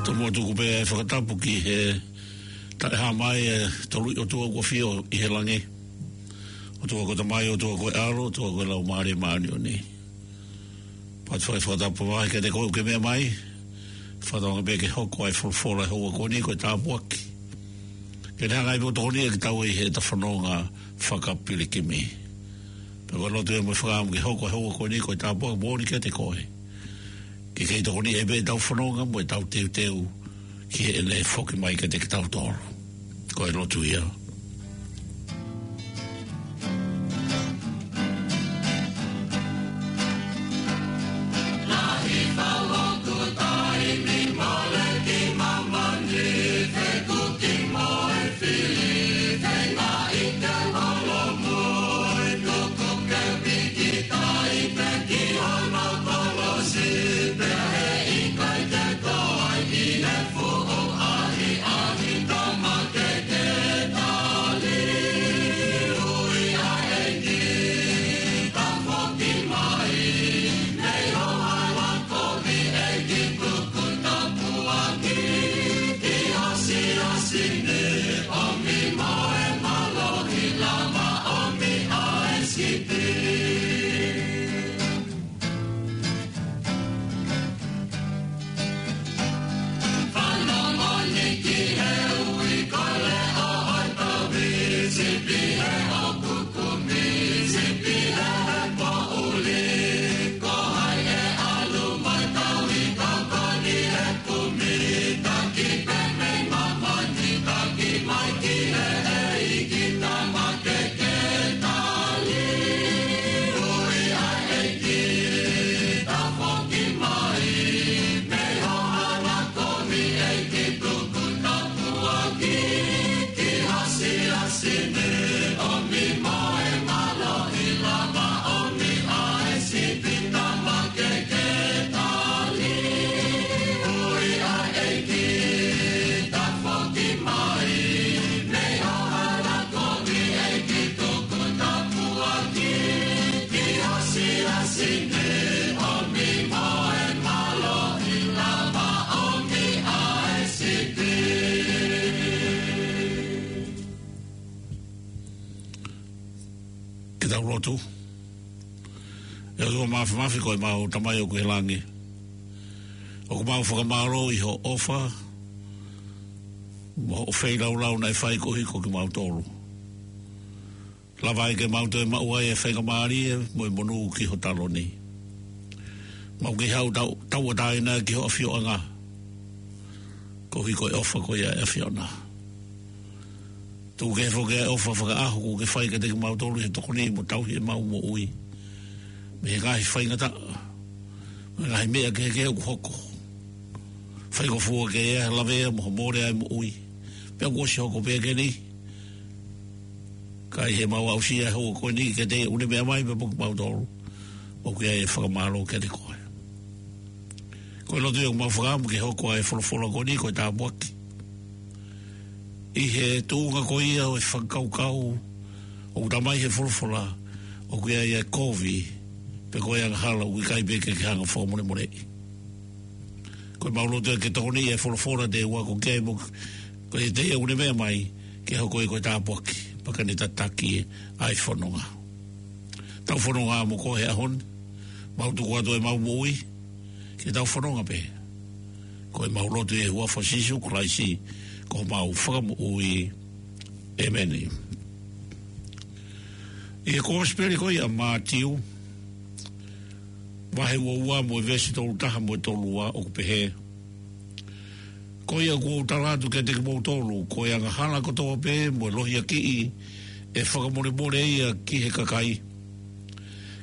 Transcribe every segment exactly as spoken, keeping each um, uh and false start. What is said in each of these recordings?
Tomuʻa tuku pē ʻa e fakatapu ki he taʻehāmai ʻa e Toluʻi ʻOtua kuo ʻafio ʻi he langi. ʻOtua ko e Tamai, ʻOtua ko e ʻAlo, ʻOtua ko e Laumālie Māʻoniʻoni. Pea ʻoku ou fai e fakatapu mamahi kiate koe ʻoku ke meʻa mai. Fakatauange pē ke hoko ʻa e folofola ʻo e houa ko eni ko e tāpuaki. Ke ne hanga ʻe ia ʻo tokoniʻi kitaua ʻi heʻeta fononga fakapilikimi. Pea ko e lotu ia mo e fakaʻamu ke hoko ʻa e houa ko eni ko e tāpuaki moʻoni kiate koe. Ke kei tokoniʻi ʻe ia pē ʻetau fononga mo ʻetau teuteu ki heʻene foki mai kiate kitautolu. Ko e lotu ia. Ke tau lotu. ʻE ʻOtua Māfimafi, ko ʻemau Tamai ʻoku ʻi he langi, ʻoku mau fakamālō ʻi hoʻo ʻofa mo hoʻo feilaulau naʻe fai koeʻuhi ko kimautolu. Lava ai ke mau toe maʻu ai e faingamālie mo e monū ki ho taloni. Mau kei haʻu tau, tauʻatāina ki ho ʻafioʻanga, koeʻuhi ko e ʻofa ko ia ʻa e ʻAfiona. Tuku ke foki ʻa e ʻofa fakaʻaho kuo ke fai kiate kimautolu he tokoni mo tauhi ʻemau moʻui mei he ngaahi faingataʻa, mei he ngaahi meʻa kehekehe ʻoku hoko. Fai ko e fua ke ʻi ai ha lavea mo ha mole ʻa e moʻui, pea kuo ʻosi hoko pē ʻeni. Ka ʻi heʻemau aʻusia e houa ko eni ke te ʻunu meʻa mai pea mo kimautolu, ʻoku ʻi ai e fakamālō kiate koe. Ko e lotu ia ʻoku mau fakaʻamu ke hoko ʻa e folofola ko eni ko e tāpuaki. ʻI he tuʻunga ko ia ʻo e fakakaukau ʻoku talamai ʻe he folofola, ʻoku ʻi ai e kovi, pe ko e angahala ʻoku ʻikai pē ke ke hanga ʻo fakamolemoleʻi. Ko ʻemau lotu ia ke tokoniʻi e folofola te u ako ki ai mo, ko e te u ʻunu meʻa mai, ke hoko ia ko e tāpuaki, pea ke ne tataki ʻa e fononga. Tau fononga mo koe he ʻaho ni, mau tuku atu ʻemau moʻui, ke tau fononga pē. Ko ʻemau lotu ʻi he huafa ʻo Sīsū Kalaisi, ko homau Fakamoʻui. ʻĒmeni. ʻI he Kosipeli ko ia ʻa Mātiu, vahe ua ua mo e veesi tolu taha mo e tolu ua ʻoku pehē: Ko ia ʻoku ou tala atu kiate kimoutolu, ko e angahala kotoa pē mo e lohiakiʻi ʻe fakamolemole ia ki he kakai.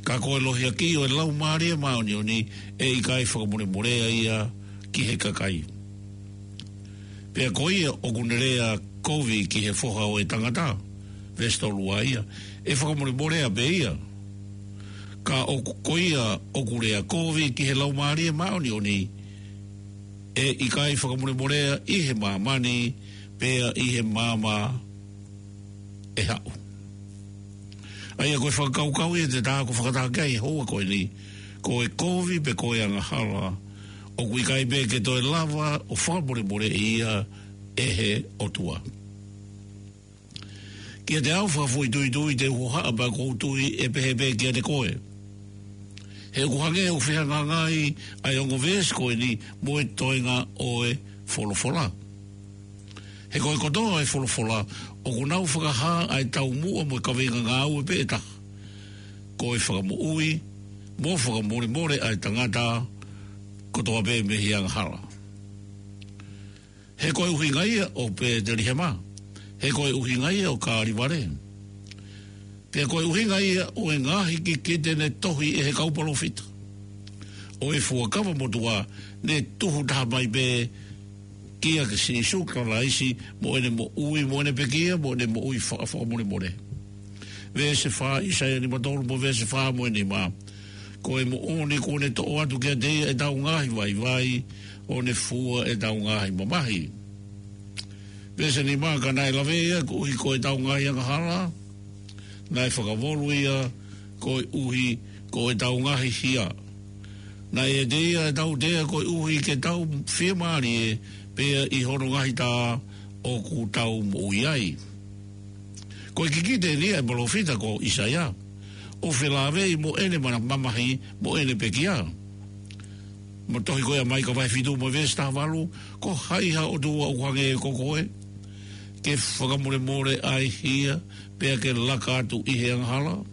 Ka ko e lohiakiʻi ʻo e Laumālie Māʻoniʻoni ʻe ʻikai fakamolemolea ia ki he kakai. Pea ko ia ʻoku ne lea kovi ki he Foha ʻo e Tangata, veesi tolu ua ia, ʻe fakamolemolea pē ia. Ka ʻoku, ko ia ʻoku lea kovi ki he Laumālie Māʻoniʻoni, ʻe ʻikai fakamolemolea ʻi he māmani, pea ʻi he maama ʻe haʻu. ʻA ia ko e fakakaukau ia te ta ako fakataha ki ai he houa ko eni, ko e kovi pe ko e angahala, ʻoku ʻikai pē ke toe lava ʻo fakamolemoleʻi ia ʻe he ʻOtua. Kiate au fakafoʻituitui te u hohaʻa pea ʻoku ou tui ʻe pehē pē kiate koe. He ʻoku hangē ʻoku fehangahangai ʻa e ongo veesi ko eni mo e toenga ʻo e folofola. He ko e kotoa ʻo e folofola, ʻoku nau fakahā ʻa e taumuʻa mo e kaveinga ngāue pē ʻe taha. Ko e fakamoʻui, mo fakamolemole ʻa e tangata kotoa pē mei he angahala. He ko e ʻuhinga ia ʻo Pētelihema. He ko e ʻuhinga ia ʻo Kalevale. Pea ko e ʻuhinga ia ʻo e ngaahi kikite ne tohi ʻe he kau palōfita ʻo e Fuakava Motuʻa ne tuhu taha mai pē kia Sīsū Kalaisi mo ʻene moʻui, mo ʻene pekia, mo ʻene moʻui fa-, fakamolemole. Veesi fā, ʻAisea nima tolu mo veesi fā mo e nima. Ko e moʻoni kuo ne toʻo atu kiate ia ʻetau ngaahi vaivai, ʻo ne fua ʻetau ngaahi mamahi. Veesi nima, ka naʻe lave ia koeʻuhi ko ʻetau ngaahi angahala, naʻe fakavolu ia koeʻuhi ko ʻetau ngaahi hia. Naʻe ʻiate ia ʻa e tautea koeʻuhi ke tau fiemālie pea ʻi hono ngaahi tā ʻoku tau moʻui ai. Ko e kikite eni ʻa e palōfita ko ʻAisea, ʻo felāveʻi mo ʻene mana-, mamahi mo ʻene pekia. Mo e tohi ko ia ʻa Maika vahe fitu mo e veesi taha valu, ko hai ha ʻOtua ʻoku hangē ko koe, ke fakamolemole ʻa e hia, pea ke laka atu ʻi he angahala?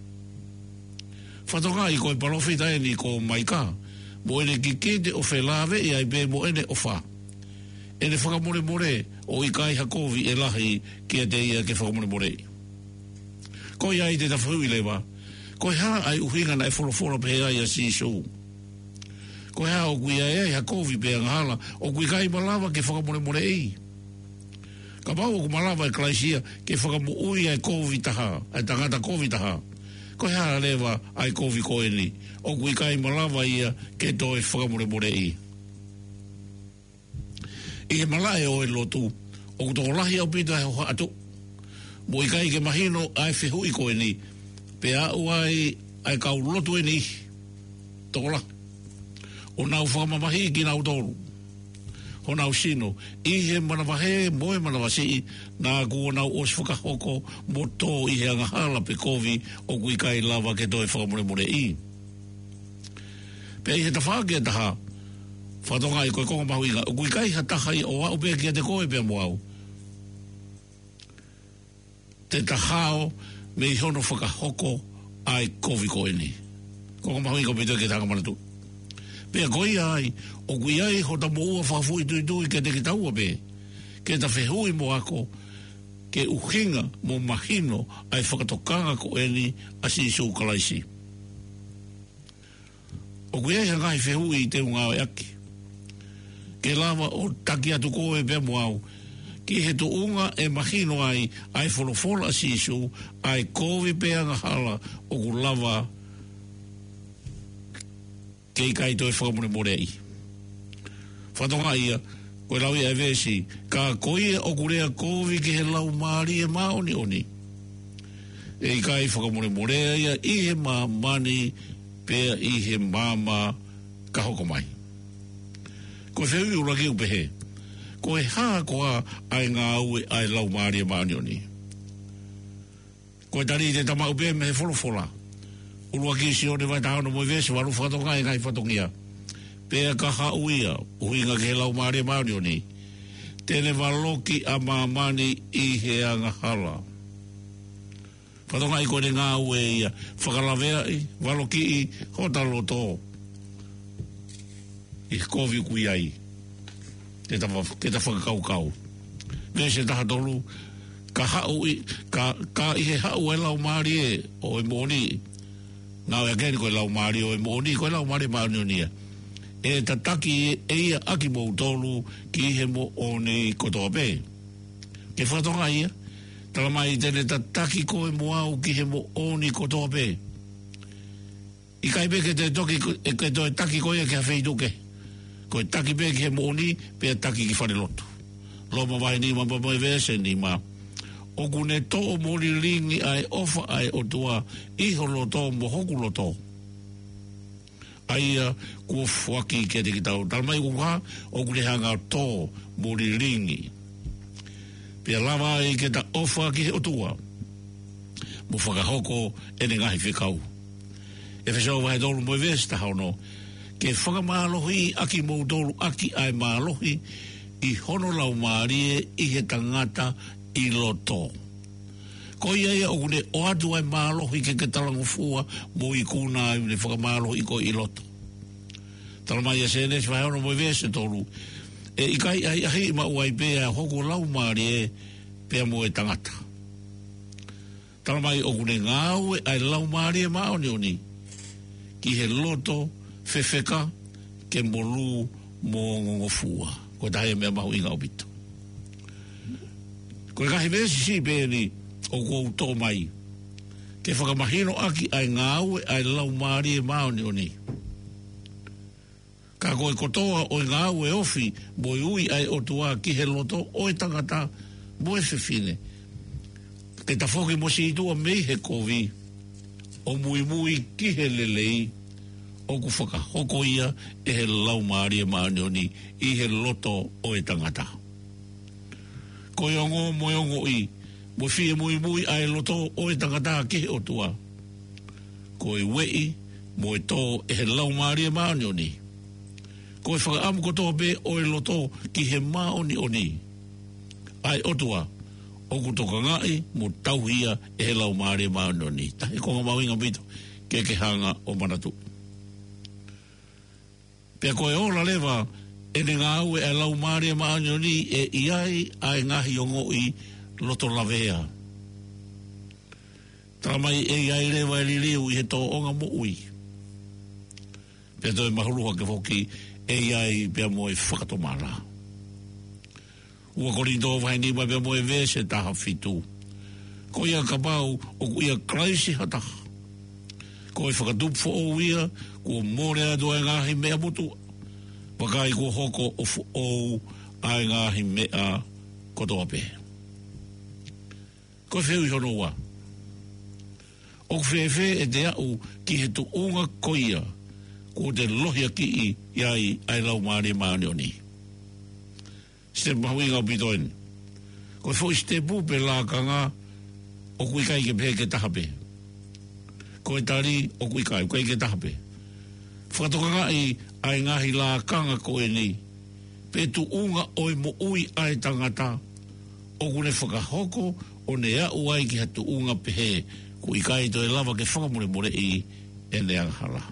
Fakatokangaʻi ko e palōfita eni ko Maika, mo ʻene kikite ʻo felāveʻi ai pē mo ʻene ʻofa, ʻene fakamolemole, ʻo ʻikai ha kovi ʻe lahi kiate ia ke fakamolemoleʻi. Ko ia ai te ta fehuʻi leva, ko e hā ʻa e ʻuhinga naʻe folofola pehē ai ʻa Sīsū? Ko e hā ʻoku ʻi ai ha kovi pe angahala ʻoku ʻikai malava ke fakamolemoleʻi? Kapau ʻoku malava ʻe Kalaisi ia ke fakamoʻui ʻa e kovi taha, ʻa e tangata kovi taha, ko e hā leva ʻa e kovi ko eni ʻoku ʻikai malava ia ke toe fakamolemoleʻi? ʻI he malaʻe ʻo e lotu, ʻoku tokolahi ʻaupito ʻa e hohaʻa tuʻu. Mo ʻikai ke mahino ʻa e fehuʻi ko eni, pea aʻu ai ʻa e kau lotu eni, tokolahi, ʻo nau fakamamahiʻi kinautolu, honau sino, ʻi he manavahē mo e manavasiʻi, naʻa kuo nau ʻosi fakahoko mo tō ʻi he angahala pe kovi ʻoku ʻikai lava ke toe fakamolemoleʻi. Pea ʻi he tafaʻaki ʻe taha, fakatokangaʻi ko e konga mahuʻinga, ʻoku ʻikai ha taha ia ʻo aʻu pē kiate koe pea mo au, te ta hao mei hono fakahoko ʻa e kovi ko eni. Konga mahuʻinga ʻaupito ke ta hanga ʻo manatuʻi. Pea ko ia ai, ʻoku ʻi ai hota moʻua fakafoʻituitui kiate kitaua pē, ke ta fehuʻi mo ako, ke ʻuhinga mo mahino ʻa e fakatokanga ko eni ʻa Sīsū Kalaisi. ʻOku ʻi ai ha ngaahi fehuʻi te u ngāueʻaki ke lava ʻo taki atu koe pea mo au ki he tuʻunga ʻe mahino ai ʻa e folofola ʻa Sīsū, ʻa e kovi pe angahala ʻoku lava ke ʻikai toe fakamolemoleʻi. Fakatokangaʻi ia, ko e lau ia ʻa e veesi, ka ko ia ʻoku lea kovi ki he Laumālie Māʻoniʻoni, ʻe ʻikai fakamolemolea ia ʻi he māmani pea ʻi he maama ka hoko mai. Ko e fehuʻi ʻuluaki ʻoku pehē, ko e hā koā ʻa e ngāue ʻa e Laumālie Māʻoniʻoni? Ko e tali te ta maʻu pē mei he folofola. ʻUluaki Sione vahe taha ono mo e veesi valu, fakatokangaʻi e ngaahi fatongia. Pea ka haʻu ia, ʻuhinga ki he Laumālie Māʻoniʻoni, te ne valoki ʻa māmani ʻi he angahala. Fakatokangaʻi ko ʻene ngāue ia, fakalaveaʻi, valokiʻi hota loto ʻi he kovi ʻoku ʻi ai. Ke ta fa-, ke ta fakakaukau. Veesi taha tolu, ka haʻu ʻi, ka, ka ʻi he haʻu ʻa e Laumālie ʻo e moʻoni. Ngāueʻaki eni ko e Laumālie ʻo e moʻoni, ko e Laumālie Māʻoniʻoni ia. ʻE tataki ʻe ia ʻa kimoutolu ki he moʻoni kotoa pē. Ke fakatokangaʻi ia, tala mai te ne tataki koe mo au ki he moʻoni kotoa pē. ʻIkai pē ke toe toki ko-, ʻe ke toe taki koe ia ki ha feituʻu kehe. Ko e taki pē ki he moʻoni, pea taki ki falelotu. Loma vahe nima mo e veesi nima. ʻoku ne toʻo mo lilingi ʻa e ʻofa ʻa e ʻOtua ʻi ho loto mo hoku loto, ʻa ia kuo foaki kiate kitautolu. Talamai ʻoku hā? ʻOku ne hanga ʻo toʻo mo lilingi. Pea lava ai ke ta ʻofa ki he ʻOtua mo fakahoko ʻene ngaahi fekau. ʻEfesō vahe tolu mo e veesi taha ono: Ke fakamālohiʻi ʻa kimoutolu ʻaki ʻa e mālohi ʻi hono Laumālie ʻi he tangata ʻi loto. Ko ia ia ʻoku ne ʻoatu ʻa e mālohi ke ke talangofua mo ikuna ai, ʻoku ne fakamālohiʻi koe ʻi loto. Talamai ʻe Sēnesi vahe ono mo e veesi tolu: ʻE ʻikai ʻahiʻahiʻi maʻu ai pē ʻa hoku laumālie pea mo e tangata. Talamai ʻoku ne ngāue ʻa e Laumālie Māʻoniʻoni ki he loto fefeka ke molū mo ongongofua. Ko e taha ia e meʻa mahuʻinga ʻaupito. Ko e ngaahi veesi siʻi pē eni ʻoku ou toʻo mai ke fakamahino ʻaki ʻa e ngāue ʻa e Laumālie Māʻoniʻoni. Ka ko e kotoa ʻo e ngāue ofi mo e ui ʻa e ʻOtua ki he loto ʻo e tangata mo e fefine, ke tafoki mo sītuʻa mei he kovi ʻo muimui ki he lelei, ʻoku fakahoko ia ʻe he Laumālie Māʻoniʻoni ʻi he loto ʻo e tangata. Ko e ongo mo e ongoʻi mo e fie muimui ʻa e loto ʻo e tangata ki he ʻOtua, ko e ueʻi mo e tō ʻe he Laumālie Māʻoniʻoni. Ko e fakaʻamu kotoa pē ʻo e loto ki he māʻoniʻoni ʻa e ʻOtua, ʻoku tokangaʻi mo tauhi ia ʻe he Laumālie Māʻoniʻoni. Taha e konga mahuʻinga ʻaupito ke ke hanga ʻo manatuʻi. Pea ko e ola leva ʻene ngāue ʻa e Laumālie Māʻoniʻoni, ʻe ʻi ai ʻa e ngaahi ongoʻi loto lavea. Talamai ʻe ʻi ai leva e liliu ʻi he tōʻonga moʻui. Pea toe mahulu hake foki, ʻe ʻi ai pea mo e fakatomala. Ua Kolinitō vahe nima pea mo e veesi taha fitu: Ko ia kapau ʻoku ʻia Kalaisi ha taha, ko e fakatupu foʻou ia; kuo mole atu ʻa e ngaahi meʻa motuʻa, vakai, kuo hoko ʻo foʻou ʻa e ngaahi meʻa kotoa pē. Ko e fehuʻi hono ua: ʻOku fēfē ʻete aʻu ki he tuʻunga ko ia kuo te lohiakiʻi ai ʻa e Laumālie Māʻoniʻoni? Sitepu mahuʻinga ʻaupito eni. Ko e foʻi sitepu pe lakanga, ʻoku ʻikai ke pehē ke taha pē. Ko e tali, ʻoku ʻikai, ʻikai ke taha pē. Fakatokangaʻi ʻa e ngaahi lakanga ko eni pe tuʻunga ʻo e moʻui ʻa e tangata, ʻoku ne fakahoko ʻo ne aʻu ai ki ha tuʻunga pehē ʻoku ʻikai toe lava ke fakamolemoleʻi ʻene angahala.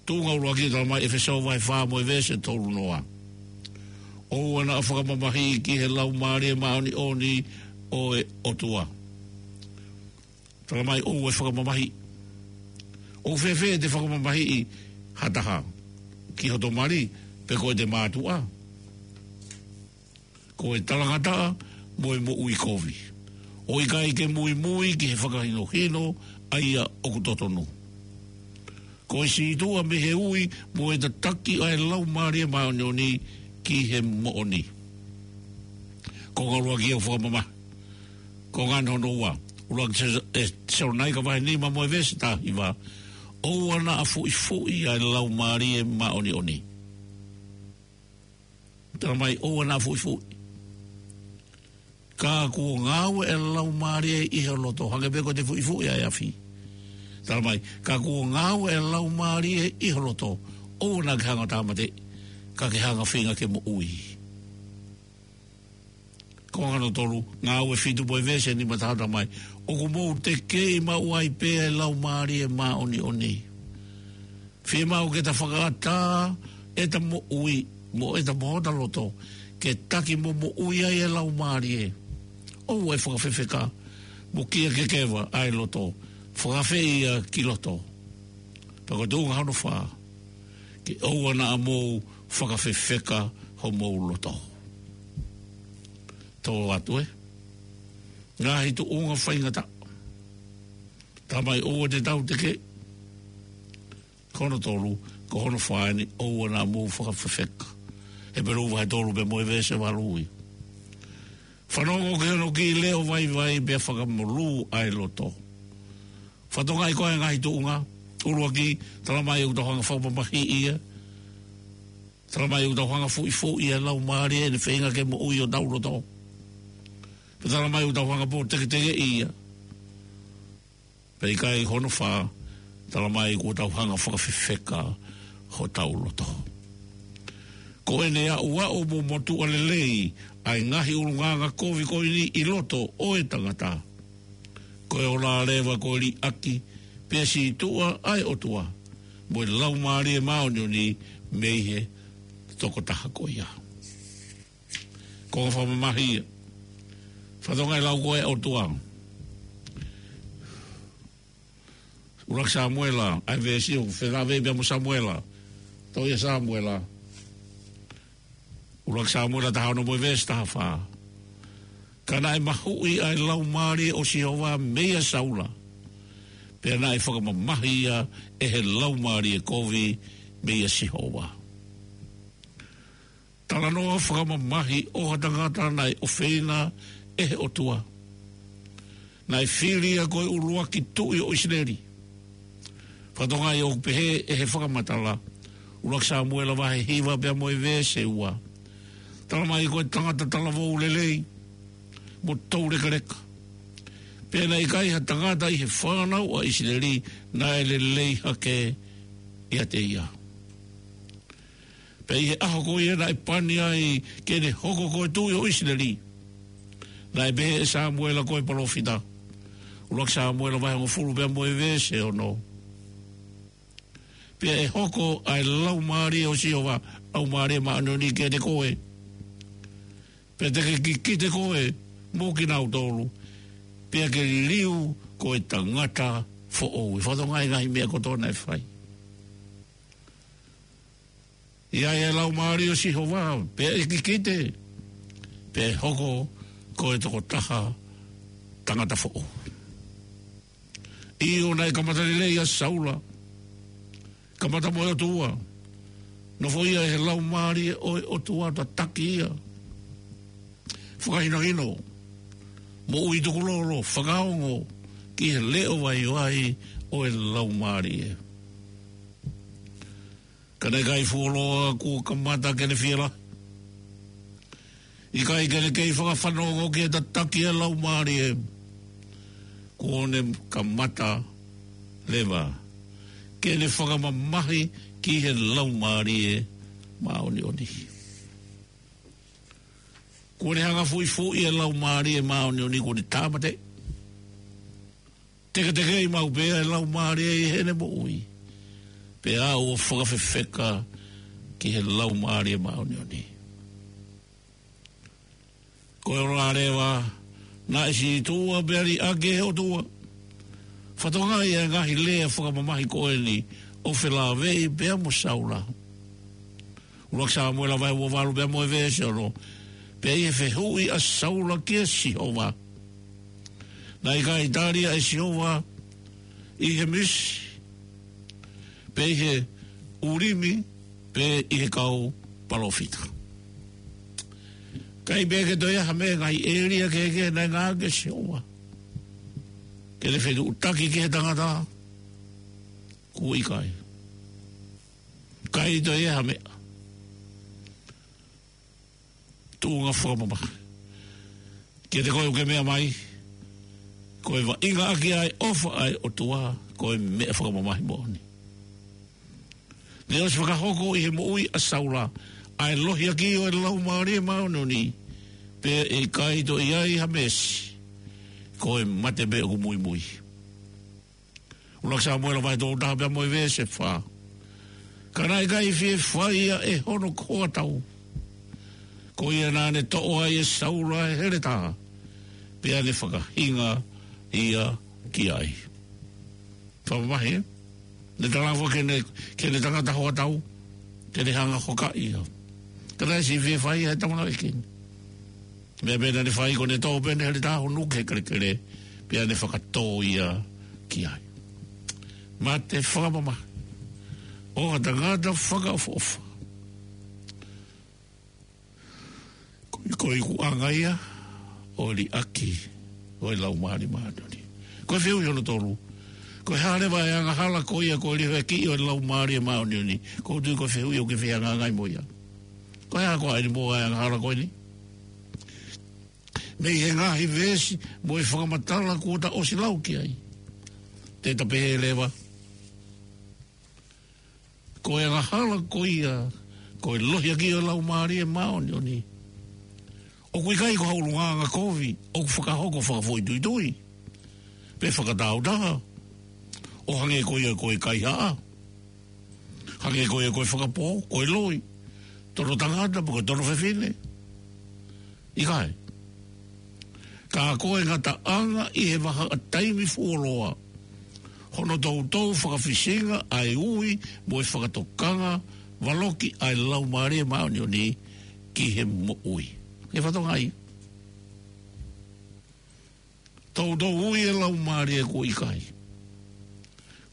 Tuʻunga ʻuluaki, talamai ʻEfesō vahe fā mo e veesi tolu noa: ʻOua naʻa fakamamahiʻi ki he Laumālie Māʻoniʻoni ʻo e ʻOtua. Talamai ʻoua ʻe fakamamahiʻi. ʻOku fēfē ʻete fakamamahiʻi ha taha? Ki hoto mali, pe ko ʻete mātuʻa, ko e talangataʻa mo e moʻui kovi, ʻo ʻikai ke muimui ki he fakahinohino ʻa ia ʻoku totonu. Ko e sītuʻa mei he ui mo e tataki ʻa e Laumālie Māʻoniʻoni ki he moʻoni. Konga ʻuluaki ia ʻoku fakamamahiʻi. Konga hono ua, ʻuluaki Tes-, ʻe, Tesalonaika vahe nima mo e veesi taha hiva: ʻOua naʻa fuʻifuʻi ʻa e Laumālie Māʻoniʻoni. Talamai ʻoua naʻa fuʻifuʻi. Ka kuo ngāue ʻa e Laumālie ʻi ho loto, hangē pē ko ʻete fuʻifuʻi ʻa e afi. Talamai, ka kuo ngāue ʻa e Laumālie ʻi ho loto, ʻoua naʻa ke hanga ʻo tāmateʻi, ka ke hanga ʻo feinga ke moʻui. Konga hono tolu, Ngāue fitu mo e veesi nima taha, talamai: ʻOku mou tekeʻi maʻu ai pē ʻa e Laumālie Māʻoniʻoni. Fiemaʻu ke ta fakaʻatā ʻeta moʻui mo ʻeta mo hota loto ke taki mo moʻui ai ʻa e Laumālie. ʻOua ʻe fakafefeka mo kia kekeva ʻa e loto, fakaafeʻi ia ki loto. Pea ko e tuʻunga hono fā, ke ʻoua naʻa mou fakafefeka homou loto. Tō atu, ē? Ngaahi tuʻunga faingataʻa. Talamai ʻoua te tau tekeʻi. Ko hono tolu, ko hono fā eni, ʻoua naʻa mou fakafefeka. Hepelū vahe tolu pea mo e veesi valu ia. Fanongo ki hono kiʻi leʻo vaivai pea fakamolū ʻa e loto. Fakatokangaʻi ko e ngaahi tuʻunga. ʻUluaki, talamai ʻoku tau hanga fakamamahiʻi ia. Talamai ʻoku tau hanga fuʻifuʻi ʻa e laumālie ʻene feinga ke moʻui ʻi hotau loto. Pea talamai ʻoku tau hanga pōteketekeʻi ia. Pea ʻikai, hono fā, talamai kuo tau hanga fakafefeka hotau loto. Ko ʻene aʻuaʻu mo motuʻa lelei ʻa e ngaahi ʻulungaanga kovi ko eni ʻi loto ʻo e tangata. Ko e ola leva ko e liʻaki pea sītuʻa ʻa e ʻOtua mo e Laumālie Māʻoniʻoni mei he tokotaha ko ia. Ko e fakamamahi ia. Fakatokangaʻi e lau ko ē ʻa e ʻOtua. ʻUluaki Samuela, ʻa e veesi ʻoku felāveʻi pea mo Samuela. Tohi ʻa Samuela. ʻUluaki Samuela taha ono mo e veesi taha fā. Ka naʻe mahuʻi ʻa e Laumālie ʻo Sihova meia Saula. Pea naʻe fakamamahi ia ʻe he laumālie kovi meia Sihova. Talanoa fakamamahi ʻo ha tangata naʻe ʻofeina ʻe he ʻOtua. Naʻe fili ia ko e ʻuluaki tuʻi ʻo ʻIsileli. Fakatokangaʻi ʻoku pehē ʻe he fakamatala, ʻUluaki Samuela vahe hiva pea mo e veesi ua. Talamai ko e tangata talavou lelei mo toulekeleka. Pea naʻe ʻikai ha tangata ʻi he fānau ʻa ʻIsileli naʻe lelei hake ʻiate ia. Pea ʻi he ʻaho ko ia naʻe pani ai ke ne hoko ko e tuʻi ʻo ʻIsileli, naʻe pehē ʻe Samuela ko e palōfita. ʻUluaki Samuela vahe hongofulu pea mo e veesi ono. Pea ʻe hoko ʻa e Laumālie ʻo Sihova, Laumālie Māʻoniʻoni kiate koe. Pea te ke kikite koe mo kinautolu. Pea ke liliu ko e tangata foʻou. Fakatokangaʻi e ngaahi meʻa kotoa naʻe fai. ʻI ai e Laumālie ʻo Sihova, pea ʻe kikite, pea ʻe hoko ko e tokotaha tangata foʻou. ʻIo, naʻe kamata lelei ʻa Saula. Kamata mo e ʻOtua. Nofoʻia ʻe he Laumālie ʻo e ʻOtua, tataki ia. Fakahinohino. Moʻui tukulolo, fakaongo ki he leʻo vaivai ʻo e Laumālie. Ka naʻe ʻikai fuoloa kuo kamata ke ne fiela. ʻIkai ke ne kei fakafanongo ki he tataki ʻa e Laumālie. Kuo ne kamata leva ke ne fakamamahi ki he Laumālie Māʻoniʻoni. Kuo ne hanga fuʻifuʻi e Laumālie Māʻoniʻoni, kuo ne tāmateʻi. Teketekeʻi maʻu pē ʻa e Laumālie ʻi heʻene moʻui. Pea ʻoua fakafefeka ki he Laumālie Māʻoniʻoni. Ko e ola leva, naʻe sītuʻa pea liʻaki ʻe he ʻOtua. Fakatokangaʻi e ngaahi lea fakamamahi ko eni ʻoku felāveʻi pea mo Saula. ʻUluaki Samuela vahe ua valu pea mo e veesi ono. Pea ʻi he fehuʻi ʻa Saula kia Sihova, naʻe ʻikai tali ia ʻe Sihova ʻi he misi, pe ʻi he ʻUlimi, pe ʻi he kau palōfita. ʻIkai pē ke toe ʻi ai ha meʻa, ngaahi ʻēlia kehekehe naʻe ngāueʻaki ʻe Sihova ke ne fetuʻutaki ki he tangata. Kuo ʻikai. ʻIkai toe ʻi ai ha meʻa. Tuʻunga fakamamahi. Kiate koe ʻoku ke meʻa mai, ko e vaʻinga ʻaki ʻa e ʻofa ʻa e ʻOtua, ko e meʻa fakamamahi moʻoni. Naʻe ʻosi fakahoko ʻi he moʻui ʻa Saula ʻa e lohiakiʻi ʻo e Laumālie Māʻoniʻoni, pea ʻe ʻikai toe ʻi ai ha misi, ko e mate pē ʻoku muimui. ʻUluaki Samuela vahe tolu taha pea mo e veesi fā. Ka naʻe ʻikai fie fai ia ʻe hono hoa tau. Ko ia naʻa ne toʻo ai ʻe Saula e heletā, pea ne fakahinga ia ki ai. Fakamamahi, ē? Ne talaange foki ki heʻene, ki heʻene tangata hoa tau ke ne hanga hokaʻi ia. Ka naʻe siʻi fie fai ia ʻe he tama naʻe kini. Meʻa pē naʻa ne fai ko ʻene toʻo pē ʻene heletā, honu ki he kelekele, pea ne fakatō ia ki ai. Mate fakamamahi ʻo ha tangata fakaʻofoʻofa. Ko e, ko e ikuʻanga ia ʻo e liʻaki ʻo e Laumālie Māʻoniʻoni. Ko e fehuʻi hono tolu. Ko e hā leva e angahala ko ia ko e liʻaki ʻo e Laumālie Māʻoniʻoni? ʻOku ou tui ko e fehuʻi ʻoku ke fehangahangai mo ia. Ko e hā koā ʻeni mo e angahala ko eni? Mei he ngaahi veesi mo e fakamatala kuo ta ʻosi lau ki ai, te ta pehē leva, ko e angahala ko ia ko e lohiakiʻi ʻo e Laumālie Māʻoniʻoni, ʻoku ʻikai ko ha ʻulungaanga kovi ʻoku fakahoko fakafoʻituitui pe fakatāutaha, ʻo hangē ko ia ko e kaihaʻa, hangē ko ia ko e fakapō, ko e loi, tono tangata pe ko e tono fefine. ʻIkai. Ka ko e ngataʻanga ʻi he vahaʻa taimi fuoloa hono toutou fakafisinga ʻa e ui mo e fakatokanga valoki ʻa e Laumālie Māʻoniʻoni ki he moʻui. He fatongia ia. Toutou ui e Laumālie kuo ʻikai.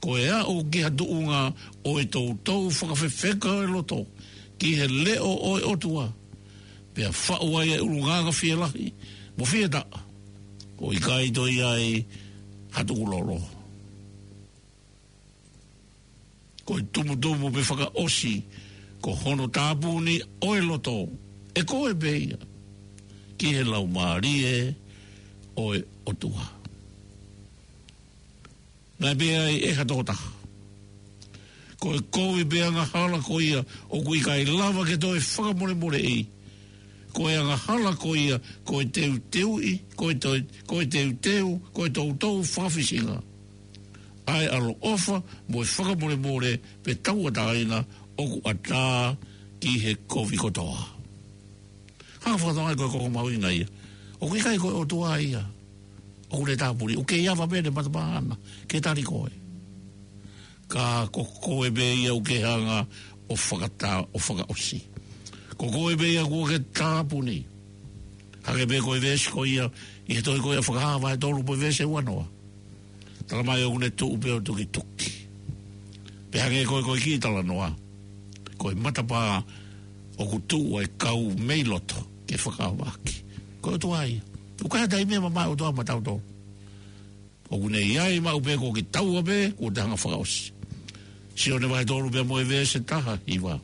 Ko e aʻu ki ha tuʻunga ʻo e toutou fakafefeka ʻo e loto ki he leʻo ʻo e ʻOtua, pea faʻu ai e ʻulungaanga fielahi mo fietaʻa, ʻo ʻikai toe ʻi ai ha tukulolo. Ko e tumutumu pe fakaʻosi, ko hono tāpuni ʻo e loto ʻe koe pē ia ki he Laumālie ʻo e ʻOtua. Naʻe pehē ai ʻe ha tokotaha, ko e kovi pe angahala ko ia ʻoku ʻikai lava ke toe fakamolemoleʻi, ko e angahala ko ia ko e teuteuʻi, ko e toe, ko e teuteu, ko e toutou fakafisinga ʻa e ʻaloʻofa mo e fakamolemole pe tauʻatāina ʻoku ʻatā ki he kovi kotoa. Hanga fakatokangaʻi ko e koko mahuʻinga ia. ʻOku ʻikai ko e ʻOtua ia ʻoku ne tāpuni, ʻoku kei ava pē ʻene matapā ʻana ke tali koe. Ka ko koe pē ia ʻoku ke hanga ʻo fakata-, ʻo fakaʻosi. Ko koe pē ia kuo ke tāpuni. Hangē pē ko e veesi ko ia ʻi he tohi ko ia Fakahā vahe tolu pea veesi uanoa. Tala mai ʻoku ne tuʻu pē ʻo tukituki. Pea hangē ko e, ko e kiʻi talanoa, ko e matapā ʻoku tuʻu ai e kau mei loto ke fakaavaki. Ko e ʻOtua ia. ʻOku ʻikai ha taimi ia mamae ʻOtua maʻatautolu. ʻOku ne ʻi ai maʻu pē ko kitaua pē kuo te hanga fakaʻosi. Sione vahe tolu pea mo e veesi taha hiva.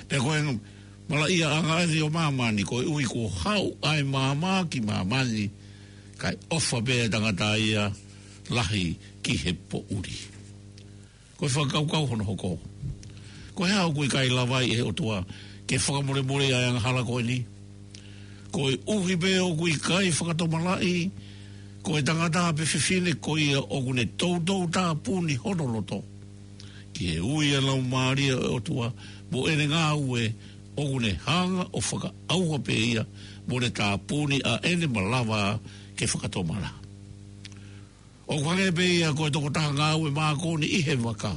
Pea ko e malaʻia ʻa e ʻaho ni ʻo māmani, koeʻuhi kuo haʻu ʻa e maama ki māmani, kae ʻofa pē ʻa e tangata ia lahi ki he poʻuli. Ko e fakakaukau hono hoko, ko e hā ʻoku ʻikai lava ai ʻe he ʻOtua ke fakamolemoleʻi ʻa e angahala ko eni? Koeʻuhi pē ʻoku ʻikai fakatomalaʻi ko e tangata pe fefine ko ia ʻoku ne toutou tāpuni hono loto ki he ui ʻa e Laumālie ʻo e ʻOtua mo ʻene ngāue, ʻoku ne hanga ʻo fakaʻauha pē ia mo ne tāpuni ʻa ʻene malava ke fakatomala. ʻOku hangē pē ia ko e tokotaha ngāue mākoni ʻi he vaka.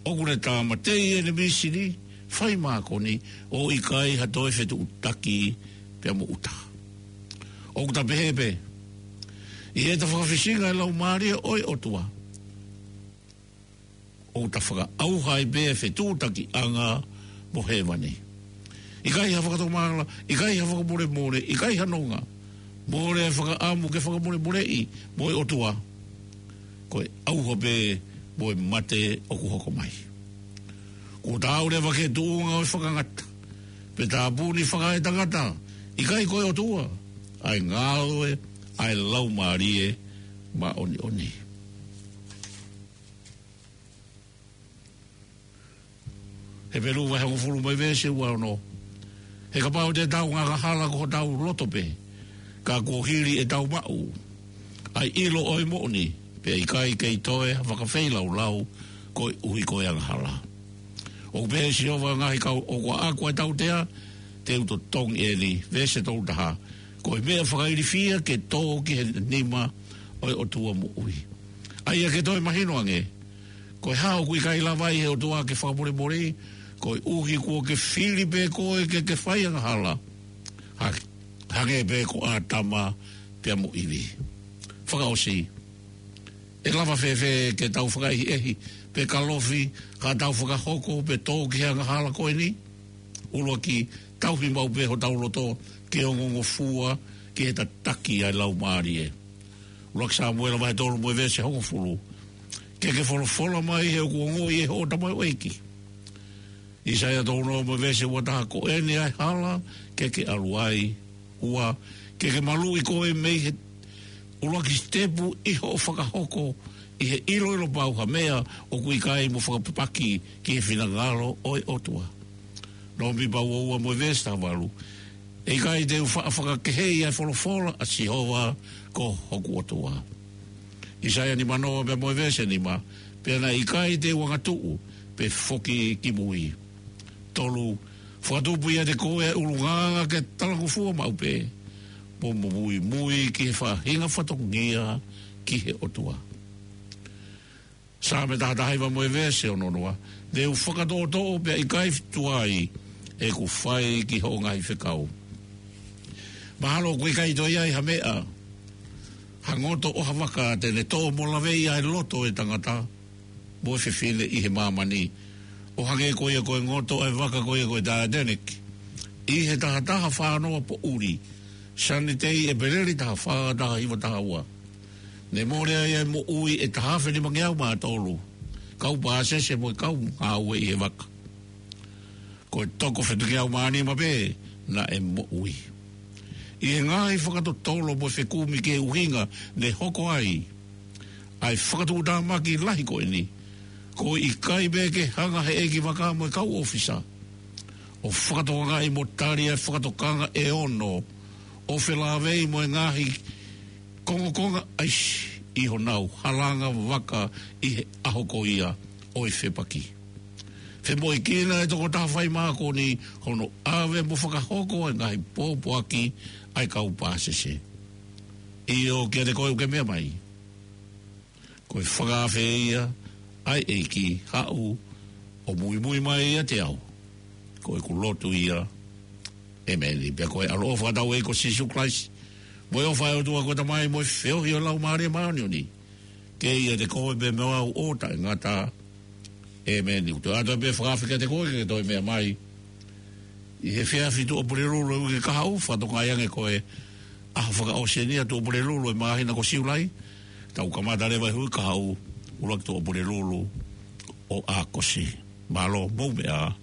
ʻOku ne tāmateʻi ʻene mīsini fai mākoni ʻo ʻikai ha toe fetuʻutaki pea mo ʻuta. ʻOku ta pehē pē, ʻi heʻeta fakafisinga e Laumālie ʻo e ʻOtua, ʻoku ta fakaʻauha ai pē e fetuʻutakiʻanga mo hēvani. ʻIkai ha fakatomala, ʻikai ha fakamolemole, ʻikai ha nonga. Mole e fakaʻamu ke fakamolemoleʻi mo e ʻOtua. Ko e ʻauha pē mo e mate ʻoku hoko mai. Kuo ta aʻu leva ki he tuʻunga ʻo e fakangata pe tāpuni fakaetangata, ʻikai ko e ʻOtua, ʻa e ngāue ʻa e Laumālie Māʻoniʻoni. Hepelū vahe hongofulu mo e veesi uaono. He kapau te tau angahala ko hotau loto pē, ka kuo hili ʻetau maʻu ʻa e ʻilo ʻo e moʻoni, pea ʻikai kei toe ha fakafeilaulau koeʻuhi ko e angahala. ʻOku pehē ʻe Sihova ʻo e ngaahi kau, ʻoku ʻaʻaku ʻa e tautea, te u totongi ʻeni, veesi tolu taha, ko e meʻa fakailifia ke tō ki he nima ʻo e ʻOtua moʻui. ʻA ia ke toe mahino ange, ko e hā ʻoku ʻikai lava ai ʻe he ʻOtua ke fakamolemoleʻi? Koeʻuhi kuo ke fili pē koe ke ke fai angahala, ha-, hangē pē ko ʻĀtama pea mo ʻIvi. Fakaʻosi, ʻe lava fēfē ke tau fakaʻehiʻehi pe kalofi haʻatau fakahoko pe tō ki he angahala ko eni? ʻUluaki, Tauhi maʻu pē hotau loto ke ongongofua ki he tataki ʻa e Laumālie. ʻUluaki Sāmuela vahe tolu mo e veesi hongofulu. Ke ke folofola mai he ʻoku ongoʻi ʻe hoʻo tamaioʻeiki. ʻAisea tolu noa mo e veesi ua taha. Ko eni ʻa e hala ke ke ʻalu ai. Ua, ke ke maluʻi koe mei he ʻuluaki sitepu ʻi hoʻo fakahoko ʻi he ʻiloʻilo pau ha meʻa ʻoku ʻikai mo fakapapaki ki he finangalo ʻo e ʻOtua. Nōmipa ua ua mo e veesi taha valu. ʻE ʻikai te u faʻa fakakeheʻi ʻa e folofola ʻa Sihova ko hoku ʻOtua. ʻAisea nima noa pea mo e veesi nima. Pea naʻe ʻikai te u angatuʻu pe foki ki mui. Tolu, fakatupu ʻiate koe ʻa e ʻulungaanga ke talangofua maʻu pē, mo muimui ki he faʻahinga fatongia ki he ʻOtua. Saame taha taha hiva mo e veesi ono noa. Te u fakatoʻotoʻo pea ʻikai tuai ʻeku fai ki hoʻo ngaahi fekau. Mahalo ʻoku ʻikai toe ʻi ai ha meʻa, ha ngoto ʻo ha vaka te ne toʻo mo laveʻi ʻa e loto ʻo e tangata mo e fefine ʻi he māmani, ʻo hangē ko ia ko e ngoto ʻa e vaka ko ia ko e Titanic ʻi he taha taha fā noa poʻuli, Sanitei, ʻEpeleli taha fā, taha hiva taha ua. Ne mole ai ʻa e moʻui ʻe taha afe nimangeau mā tolu kau pāsese mo e kau ngāue ʻi he vaka. Ko e toko fitungeau mā nima pē naʻe moʻui. ʻI he ngaahi fakatotolo mo e fekumi ki he ʻuhinga ne hoko ai ʻa e fakatuʻutāmaki lahi ko eni, ko e ʻikai pē ke hanga he ʻeikivaka mo e kau ʻōfisa ʻo fakatokangaʻi mo tali ʻa e fakatokanga ʻe ono ʻo felāveʻi mo e ngaahi kongokonga ʻaisi ʻi honau halanga vaka ʻi he ʻaho ko ia ʻo e fepaki. Femoʻuekina ʻe he tokotaha fai mākoni hono ʻave mo fakahoko ʻa e ngaahi pōpoaki ʻa e kau pāsese. ʻIo, kiate koe ʻoku ke meʻa mai, ko e fakaafe ia ʻa e ʻEiki, haʻu ʻo muimui mai ʻiate au, ko ʻeku lotu ia. ʻEmeni. Pea ko e ʻaloʻofa ʻa hotau ʻEiki ko Sīsū Kalaisi, mo e ʻofa ʻa e ʻOtua ko e Tamai, mo e feohi ʻo e Laumālie Māʻoniʻoni, ke ʻiate koe pea mo au ʻo taʻengata. ʻEmeni. ʻOku toe ʻoatu pē fakaafe kiate koe ke toe meʻa mai ʻi he efiafi Tuʻapulelulu ʻo e uike kahaʻu, fakatokangaʻi ange ko e ʻaho fakaʻosi eni ʻa Tuʻapulelulu ʻo e māhina ko Siulai. Tau kamata leva he uike kahaʻu, ʻuluaki Tuʻapulelulu ʻo ʻAokosi. Mālō, mou meʻa ā,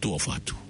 tuʻa ʻofa atu.